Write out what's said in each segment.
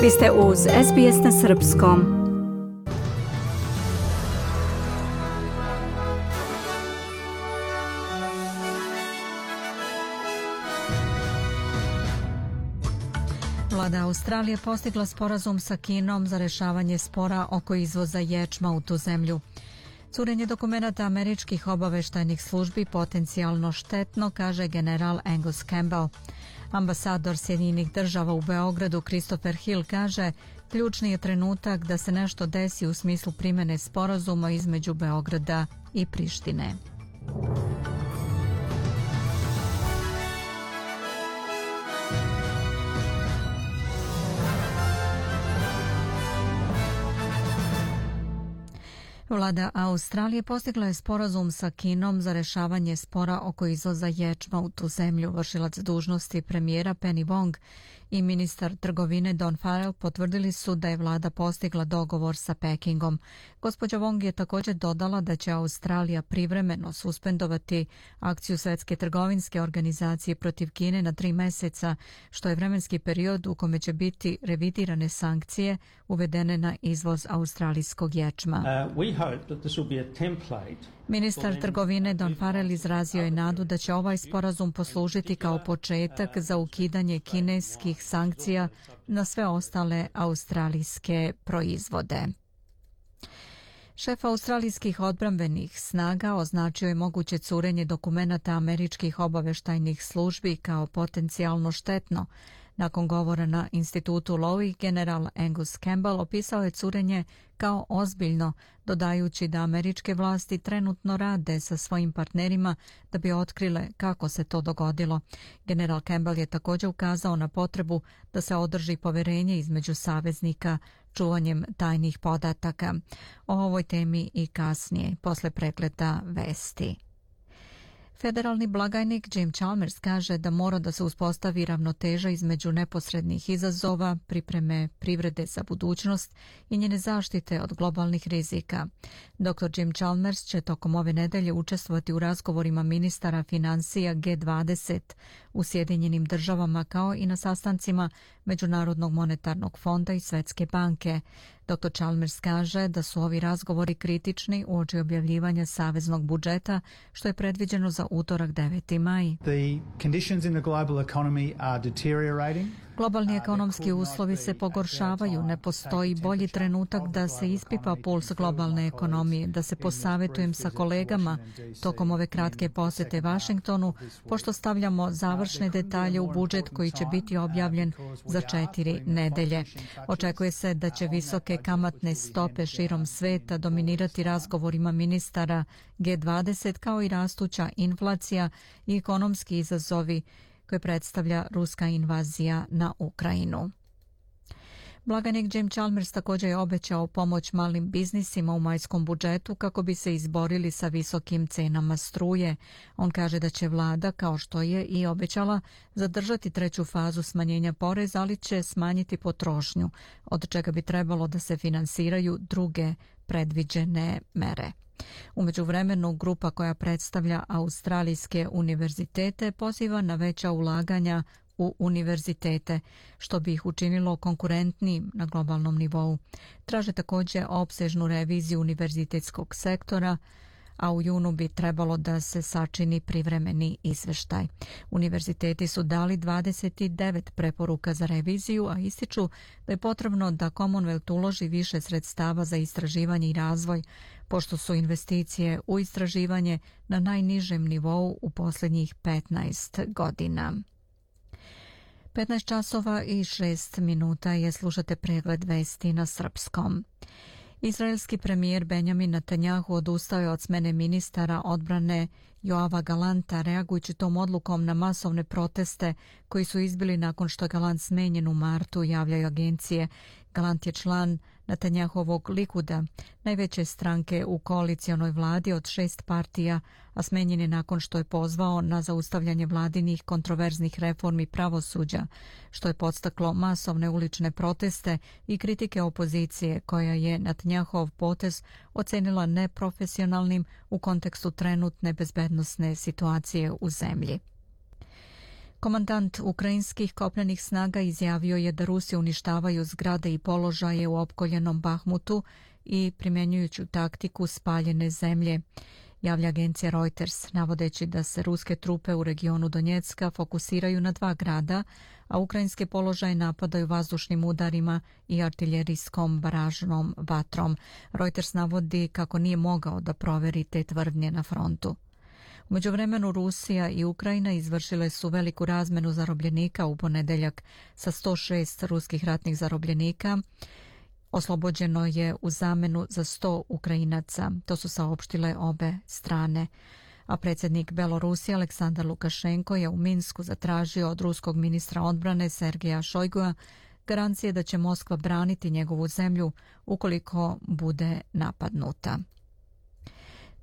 Vi ste uz SBS na srpskom. Vlada Australije postigla sporazum sa Kinom za rješavanje spora oko izvoza ječma u tu zemlju. Curenje dokumenata američkih obaveštajnih službi potencijalno štetno, kaže general Angus Campbell. Ambasador Sjedinjenih država u Beogradu Christopher Hill kaže: ključni je trenutak da se nešto desi u smislu primjene sporazuma između Beograda i Prištine. Vlada Australije postigla je sporazum sa Kinom za rješavanje spora oko izvoza ječma u tu zemlju. Vršilac dužnosti premijera Penny Wong i ministar trgovine Don Farrell potvrdili su da je vlada postigla dogovor sa Pekingom. Gospođa Wong je također dodala da će Australija privremeno suspendovati akciju Svjetske trgovinske organizacije protiv Kine na 3 mjeseca, što je vremenski period u kome će biti revidirane sankcije uvedene na izvoz australijskog ječma. Ministar trgovine Don Farrell izrazio je nadu da će ovaj sporazum poslužiti kao početak za ukidanje kineskih sankcija na sve ostale australijske proizvode. Šef australijskih odbrambenih snaga označio je moguće curenje dokumenata američkih obaveštajnih službi kao potencijalno štetno. Nakon govora na institutu Lowy, general Angus Campbell opisao je curenje kao ozbiljno, dodajući da američke vlasti trenutno rade sa svojim partnerima da bi otkrile kako se to dogodilo. General Campbell je također ukazao na potrebu da se održi povjerenje između saveznika čuvanjem tajnih podataka. O ovoj temi i kasnije, posle pregleda vesti. Federalni blagajnik Jim Chalmers kaže da mora da se uspostavi ravnoteža između neposrednih izazova, pripreme privrede za budućnost i njene zaštite od globalnih rizika. Dr. Jim Chalmers će tokom ove nedelje učestvovati u razgovorima ministara financija G20 u Sjedinjenim državama kao i na sastancima Međunarodnog monetarnog fonda i Svjetske banke. Dr. Chalmers kaže da su ovi razgovori kritični uoči objavljivanja saveznog budžeta, što je predviđeno za utorak 9. maj. Globalni ekonomski uslovi se pogoršavaju, ne postoji bolji trenutak da se ispipa puls globalne ekonomije, da se posavjetujem sa kolegama tokom ove kratke posjete Vašingtonu, pošto stavljamo završne detalje u budžet koji će biti objavljen za 4 nedelje. Očekuje se da će visoke kamatne stope širom sveta dominirati razgovorima ministara G20 kao i rastuća inflacija i ekonomski izazovi koje predstavlja ruska invazija na Ukrajinu. Blagajnik Jim Chalmers također je obećao pomoć malim biznisima u majskom budžetu kako bi se izborili sa visokim cenama struje. On kaže da će vlada, kao što je i obećala, zadržati 3. fazu smanjenja poreza, ali će smanjiti potrošnju, od čega bi trebalo da se finansiraju druge predviđene mere. U međuvremenu, grupa koja predstavlja australijske univerzitete poziva na veća ulaganja u univerzitete, što bi ih učinilo konkurentnijim na globalnom nivou. Traže također opsežnu reviziju univerzitetskog sektora, a u junu bi trebalo da se sačini privremeni izveštaj. Univerziteti su dali 29 preporuka za reviziju, a ističu da je potrebno da Commonwealth uloži više sredstava za istraživanje i razvoj, pošto su investicije u istraživanje na najnižem nivou u posljednjih 15 godina. 15 časova i 6 minuta je, slušate pregled vesti na srpskom. Izraelski premijer Benjamin Netanjahu odustao je od smene ministara odbrane Joava Galanta, reagujući tom odlukom na masovne proteste koji su izbili nakon što je Galant smenjen u martu, javljaju agencije. Galant je član Netanjahovog Likuda, najveće stranke u koalicionoj vladi od 6 partija, a smenjen je nakon što je pozvao na zaustavljanje vladinih kontroverznih reformi pravosuđa, što je podstaklo masovne ulične proteste i kritike opozicije, koja je Netanjahov potez ocenila neprofesionalnim u kontekstu trenutne bezbednosne situacije u zemlji. Komandant ukrajinskih kopnenih snaga izjavio je da Rusi uništavaju zgrade i položaje u opkoljenom Bahmutu i primjenjujući taktiku spaljene zemlje, javlja agencija Reuters, navodeći da se ruske trupe u regionu Donjecka fokusiraju na 2 grada, a ukrajinske položaje napadaju vazdušnim udarima i artiljerijskom baražnom vatrom. Reuters navodi kako nije mogao da proveri te tvrdnje na frontu. U međuvremenu Rusija i Ukrajina izvršile su veliku razmenu zarobljenika u ponedeljak sa 106 ruskih ratnih zarobljenika. Oslobođeno je u zamenu za 100 Ukrajinaca, to su saopštile obe strane. A predsjednik Belorusije Aleksandar Lukašenko je u Minsku zatražio od ruskog ministra odbrane Sergeja Šojgua garancije da će Moskva braniti njegovu zemlju ukoliko bude napadnuta.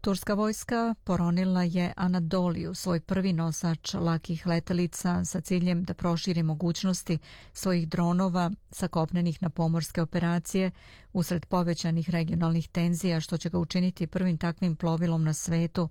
Turska vojska poronila je Anadoliju, svoj prvi nosač lakih letelica, sa ciljem da proširi mogućnosti svojih dronova sa kopnenih na pomorske operacije usred povećanih regionalnih tenzija, što će ga učiniti prvim takvim plovilom na svetu.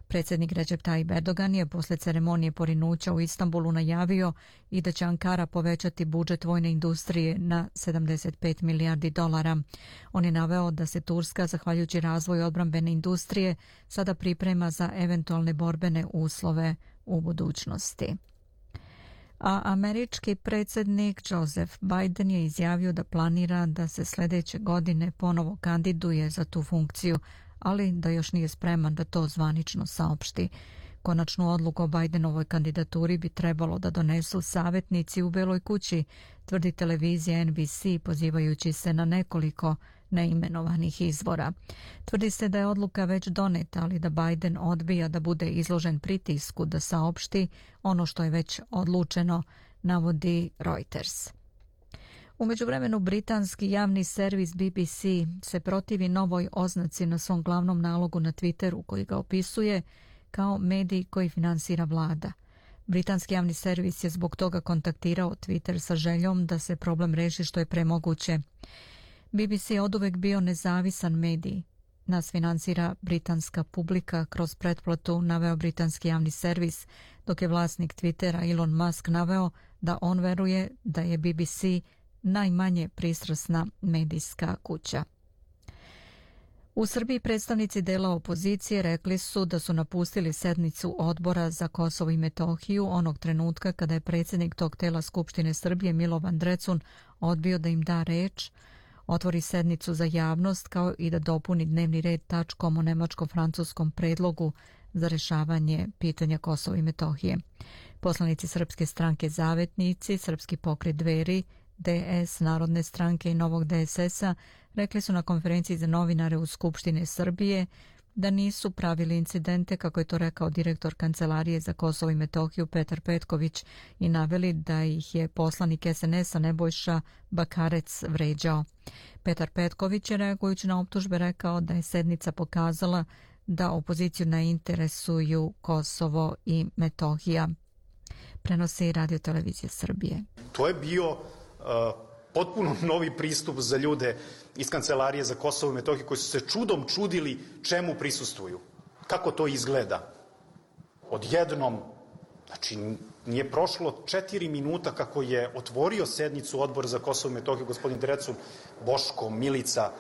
Predsjednik Recep Tayyip Erdogan je posle ceremonije porinuća u Istanbulu najavio i da će Ankara povećati budžet vojne industrije na 75 milijardi dolara. On je naveo da se Turska, zahvaljujući razvoju odbrambene industrije, sada priprema za eventualne borbene uslove u budućnosti. A američki predsjednik Joseph Biden je izjavio da planira da se sljedeće godine ponovo kandiduje za tu funkciju, ali da još nije spreman da to zvanično saopšti. Konačnu odluku o Bidenovoj kandidaturi bi trebalo da donesu savjetnici u Beloj kući, tvrdi televizija NBC, pozivajući se na nekoliko neimenovanih izvora. Tvrdi se da je odluka već doneta, ali da Biden odbija da bude izložen pritisku da saopšti ono što je već odlučeno, navodi Reuters. U međuvremenu britanski javni servis BBC se protivi novoj oznaci na svom glavnom nalogu na Twitteru koji ga opisuje kao medij koji finansira vlada. Britanski javni servis je zbog toga kontaktirao Twitter sa željom da se problem reši što je premoguće. BBC je oduvek bio nezavisan medij. Nas finansira britanska publika kroz pretplatu, naveo britanski javni servis, dok je vlasnik Twittera Elon Musk naveo da on veruje da je BBC najmanje pristrasna medijska kuća. U Srbiji predstavnici dela opozicije rekli su da su napustili sednicu Odbora za Kosovo i Metohiju onog trenutka kada je predsjednik tog tela Skupštine Srbije Milovan Drecun odbio da im da reč, otvori sednicu za javnost kao i da dopuni dnevni red tačkom o nemačko-francuskom predlogu za rješavanje pitanja Kosova i Metohije. Poslanici Srpske stranke Zavetnici, Srpski pokret Dveri, DS, Narodne stranke i Novog DSS-a rekli su na konferenciji za novinare u Skupštine Srbije da nisu pravili incidente, kako je to rekao direktor Kancelarije za Kosovo i Metohiju Petar Petković, i naveli da ih je poslanik SNS-a Nebojša Bakarec vređao. Petar Petković je reagujući na optužbe rekao da je sednica pokazala da opoziciju ne interesuju Kosovo i Metohija. Prenosi Radio Televizija Srbije. To je bio potpuno novi pristup za ljude iz Kancelarije za Kosovo i Metohiju koji su se čudom čudili čemu prisustvuju. Kako to izgleda? Odjednom, znači nije prošlo 4 minuta kako je otvorio sednicu Odbora za Kosovo i Metohiju gospodin Drecun, Boško, Milica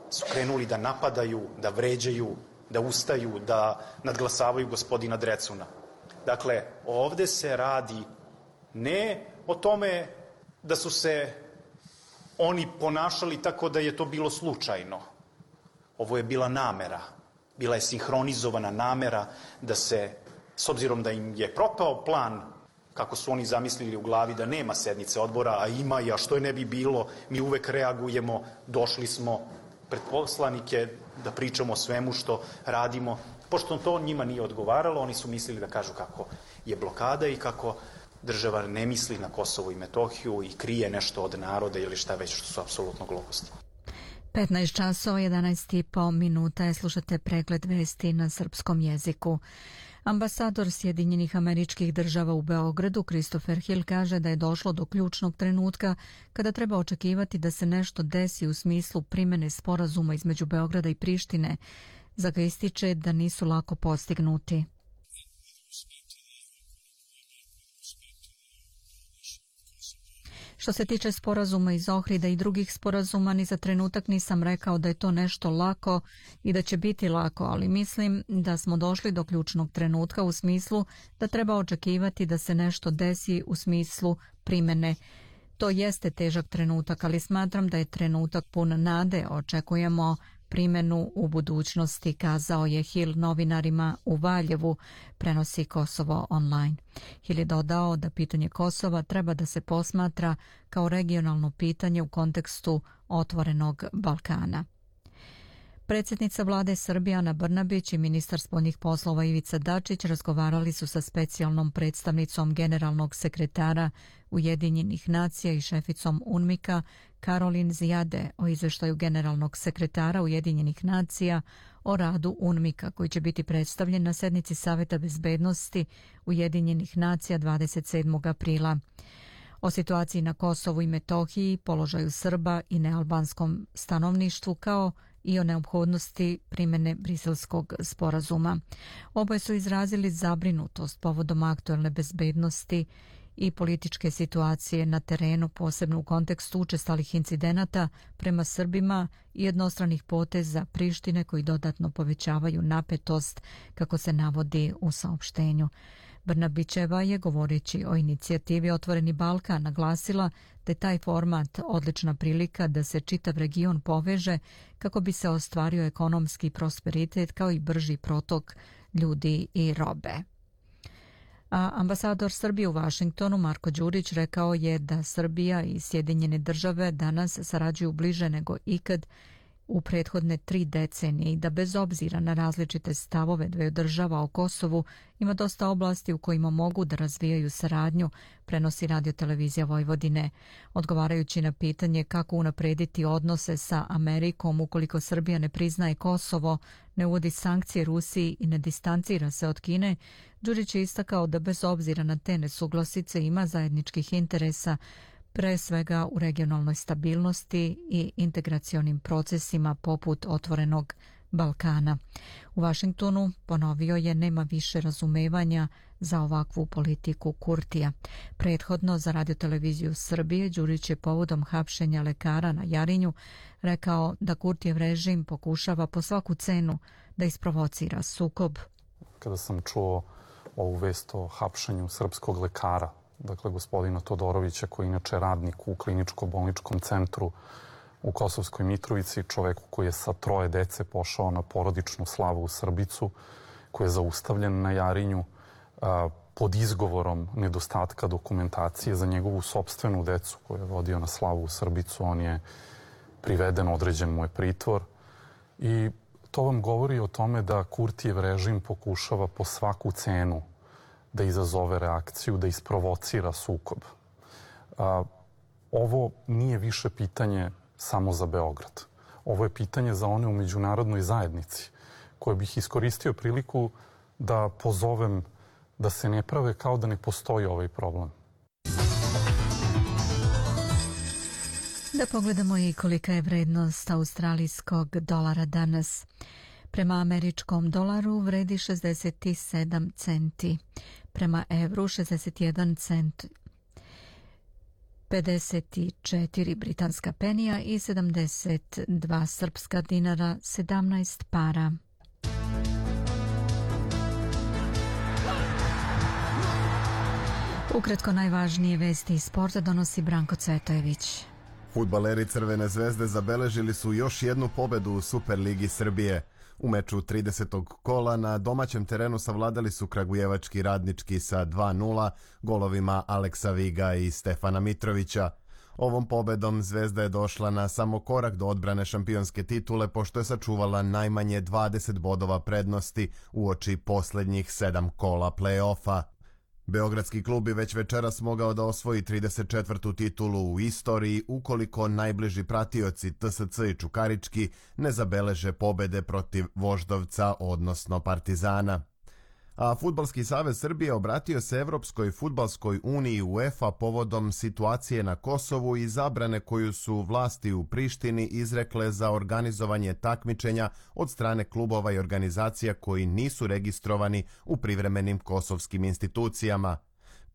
su krenuli da napadaju, da vređaju, da ustaju, da nadglasavaju gospodina Drecuna. Dakle, ovde se radi ne o tome da su se oni ponašali tako da je to bilo slučajno. Ovo je bila namera. Bila je sinhronizovana namera da se, s obzirom da im je propao plan, kako su oni zamislili u glavi da nema sednice odbora, a ima i a što je ne bi bilo, mi uvek reagujemo, došli smo pred poslanike da pričamo o svemu što radimo. Pošto to njima nije odgovaralo, oni su mislili da kažu kako je blokada i kako država ne misli na Kosovo i Metohiju i krije nešto od naroda ili šta već, što su apsolutno gluposti. 15 časova, 11,5 minuta je, slušate pregled vesti na srpskom jeziku. Ambasador Sjedinjenih Američkih Država u Beogradu, Christopher Hill, kaže da je došlo do ključnog trenutka kada treba očekivati da se nešto desi u smislu primene sporazuma između Beograda i Prištine, za ga ističe da nisu lako postignuti. Što se tiče sporazuma iz Ohrida i drugih sporazuma, ni za trenutak nisam rekao da je to nešto lako i da će biti lako, ali mislim da smo došli do ključnog trenutka u smislu da treba očekivati da se nešto desi u smislu primene. To jeste težak trenutak, ali smatram da je trenutak pun nade. Očekujemo primjenu u budućnosti, kazao je Hill novinarima u Valjevu, prenosi Kosovo online. Hill je dodao da pitanje Kosova treba da se posmatra kao regionalno pitanje u kontekstu otvorenog Balkana. Predsjednica vlade Srbije Ana Brnabić i ministar spoljnih poslova Ivica Dačić razgovarali su sa specijalnom predstavnicom generalnog sekretara Ujedinjenih nacija i šeficom UNMIK-a Karolin Zijade o izveštaju generalnog sekretara Ujedinjenih nacija o radu UNMIK-a koji će biti predstavljen na sednici Saveta bezbednosti Ujedinjenih nacija 27. aprila. O situaciji na Kosovu i Metohiji, položaju Srba i nealbanskom stanovništvu kao i o neophodnosti primjene Briselskog sporazuma. Oboje su izrazili zabrinutost povodom aktuelne bezbednosti i političke situacije na terenu, posebno u kontekstu učestalih incidenata prema Srbima i jednostranih poteza Prištine koji dodatno povećavaju napetost, kako se navodi u saopštenju. Brnabićeva je, govoreći o inicijativi Otvoreni Balkan, naglasila da je taj format odlična prilika da se čitav region poveže kako bi se ostvario ekonomski prosperitet kao i brži protok ljudi i robe. A ambasador Srbije u Vašingtonu Marko Đurić rekao je da Srbija i Sjedinjene države danas sarađuju bliže nego ikad u prethodne 3 decenije i da bez obzira na različite stavove dveju država o Kosovu ima dosta oblasti u kojima mogu da razvijaju saradnju, prenosi Radio-televizija Vojvodine. Odgovarajući na pitanje kako unaprediti odnose sa Amerikom ukoliko Srbija ne priznaje Kosovo, ne uvodi sankcije Rusiji i ne distancira se od Kine, Đurić je istakao da bez obzira na te nesuglasice ima zajedničkih interesa, pre svega u regionalnoj stabilnosti i integracionim procesima poput Otvorenog Balkana. U Vašingtonu ponovio je nema više razumevanja za ovakvu politiku Kurtija. Prethodno za Radio-televiziju Srbije Đurić je povodom hapšenja lekara na Jarinju rekao da Kurtijev režim pokušava po svaku cenu da isprovocira sukob. Kada sam čuo ovu vest o hapšenju srpskog lekara, dakle gospodina Todorovića, koji je inače radnik u kliničko-bolničkom centru u Kosovskoj Mitrovici, čoveku koji je sa 3 dece pošao na porodičnu slavu u Srbicu, koji je zaustavljen na Jarinju pod izgovorom nedostatka dokumentacije za njegovu sopstvenu decu koju je vodio na slavu u Srbicu. On je priveden, određen mu je pritvor i to vam govori o tome da Kurtijev režim pokušava po svaku cenu da izazove reakciju, da isprovocira sukob. Ovo nije više pitanje samo za Beograd. Ovo je pitanje za one u međunarodnoj zajednici, koje bih iskoristio priliku da pozovem da se ne prave kao da ne postoji ovaj problem. Da pogledamo i kolika je vrednost australijskog dolara danas. Prema američkom dolaru vredi 67 centi, prema evru 61 cent, 54 britanska penija i 72 srpska dinara, 17 para. Ukratko najvažnije vesti iz sporta donosi Branko Cvetojević. Fudbaleri Crvene zvezde zabeležili su još jednu pobedu u Superligi Srbije. U meču 30. kola na domaćem terenu savladali su kragujevački Radnički sa 2:0 golovima Aleksa Viga i Stefana Mitrovića. Ovom pobedom Zvezda je došla na samo korak do odbrane šampionske titule pošto je sačuvala najmanje 20 bodova prednosti uoči posljednjih 7 kola play-offa. Beogradski klub bi već večeras mogao da osvoji 34. titulu u istoriji ukoliko najbliži pratioci TSC i Čukarički ne zabeleže pobede protiv Voždovca, odnosno Partizana. A Fudbalski savez Srbije obratio se Evropskoj fudbalskoj uniji UEFA povodom situacije na Kosovu i zabrane koju su vlasti u Prištini izrekle za organizovanje takmičenja od strane klubova i organizacija koji nisu registrovani u privremenim kosovskim institucijama.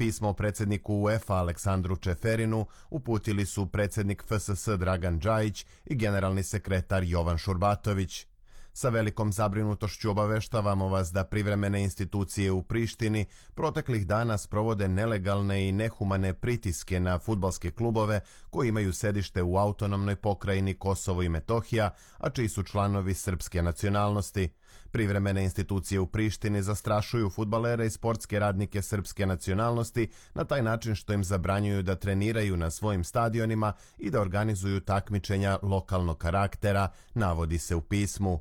Pismo predsjedniku UEFA Aleksandru Čeferinu uputili su predsjednik FSS Dragan Džajić i generalni sekretar Jovan Šurbatović. Sa velikom zabrinutošću obaveštavamo vas da privremene institucije u Prištini proteklih dana sprovode nelegalne i nehumane pritiske na fudbalske klubove koji imaju sedište u autonomnoj pokrajini Kosovo i Metohija, a čiji su članovi srpske nacionalnosti. Privremene institucije u Prištini zastrašuju fudbalere i sportske radnike srpske nacionalnosti na taj način što im zabranjuju da treniraju na svojim stadionima i da organizuju takmičenja lokalnog karaktera, navodi se u pismu.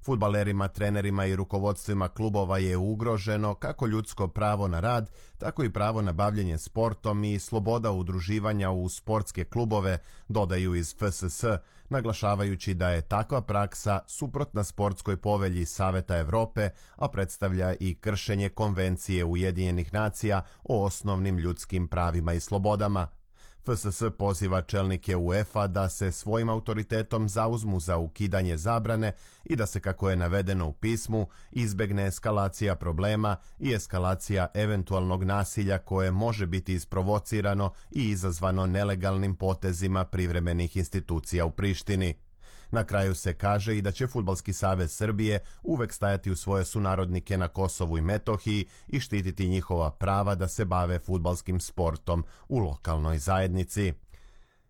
Fudbalerima, trenerima i rukovodstvima klubova je ugroženo kako ljudsko pravo na rad, tako i pravo na bavljenje sportom i sloboda udruživanja u sportske klubove, dodaju iz FSS, naglašavajući da je takva praksa suprotna sportskoj povelji Saveta Evrope, a predstavlja i kršenje Konvencije Ujedinjenih nacija o osnovnim ljudskim pravima i slobodama. FSS poziva čelnike UEFA da se svojim autoritetom zauzmu za ukidanje zabrane i da se, kako je navedeno u pismu, izbegne eskalacija problema i eskalacija eventualnog nasilja koje može biti isprovocirano i izazvano nelegalnim potezima privremenih institucija u Prištini. Na kraju se kaže i da će Fudbalski savez Srbije uvek stajati uz svoje sunarodnike na Kosovu i Metohiji i štititi njihova prava da se bave fudbalskim sportom u lokalnoj zajednici.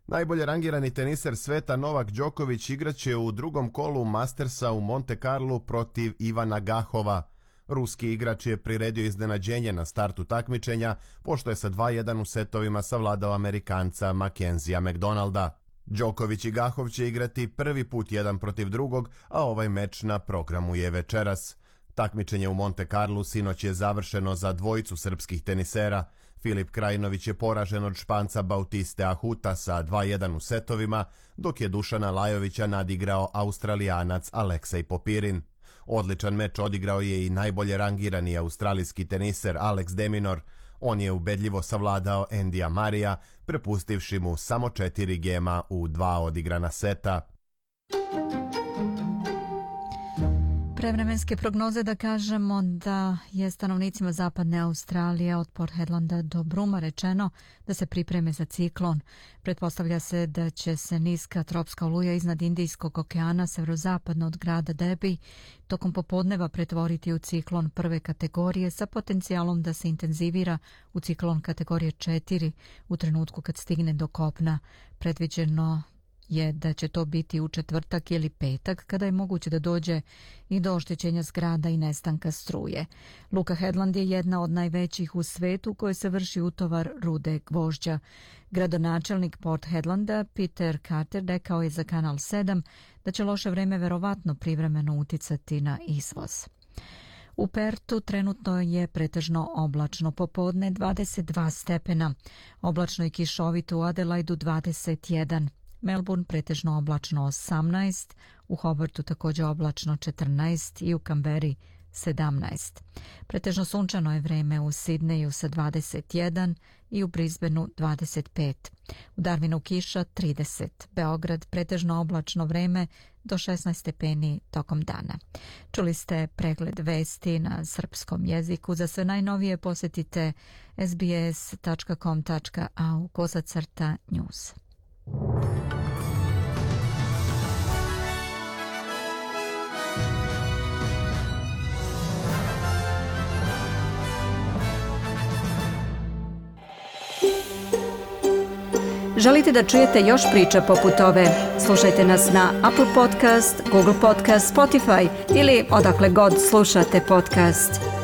Najbolje rangirani teniser sveta Novak Đoković igraće u drugom kolu Mastersa u Monte Carlu protiv Ivana Gahova. Ruski igrač je priredio iznenađenje na startu takmičenja, pošto je sa 2:1 u setovima savladao Amerikanca Mackenzija McDonalda. Đoković i Gahov će igrati prvi put jedan protiv drugog, a ovaj meč na programu je večeras. Takmičenje u Monte Carlu sinoć je završeno za dvojicu srpskih tenisera. Filip Krajinović je poražen od Španca Bautiste Ahuta sa 2:1 u setovima, dok je Dušana Lajovića nadigrao Australijanac Aleksej Popirin. Odličan meč odigrao je i najbolje rangirani australijski teniser Alex de Minaur. On je ubedljivo savladao Endija Marija, prepustivši mu samo 4 gema u 2 odigrana seta. Prevremenske prognoze da kažemo da je stanovnicima zapadne Australije od Port Hedlanda do Bruma rečeno da se pripreme za ciklon. Pretpostavlja se da će se niska tropska oluja iznad Indijskog okeana severozapadno od grada Derby tokom popodneva pretvoriti u ciklon prve kategorije sa potencijalom da se intenzivira u ciklon kategorije 4 u trenutku kad stigne do kopna. Predviđeno je da će to biti u četvrtak ili petak, kada je moguće da dođe i do oštećenja zgrada i nestanka struje. Luka Hedland je jedna od najvećih u svetu u kojoj se vrši utovar rude gvožđa. Gradonačelnik Port Hedlanda Peter Carter rekao je za Kanal 7 da će loše vreme verovatno privremeno uticati na izvoz. U Pertu trenutno je pretežno oblačno, popodne 22 stepena, oblačno i kišovito u Adelaidu 21. Melbourne pretežno oblačno 18, u Hobartu također oblačno 14 i u Kamberi 17. Pretežno sunčano je vreme u Sidneju sa 21 i u Brisbaneu 25. U Darwinu kiša 30. Beograd pretežno oblačno vreme do 16 stepeni tokom dana. Čuli ste pregled vesti na srpskom jeziku. Za sve najnovije posjetite sbs.com.au/news. Želite da čujete još priča poput ove? Slušajte nas na Apple Podcast, Google Podcast, Spotify ili odakle god slušate podcast.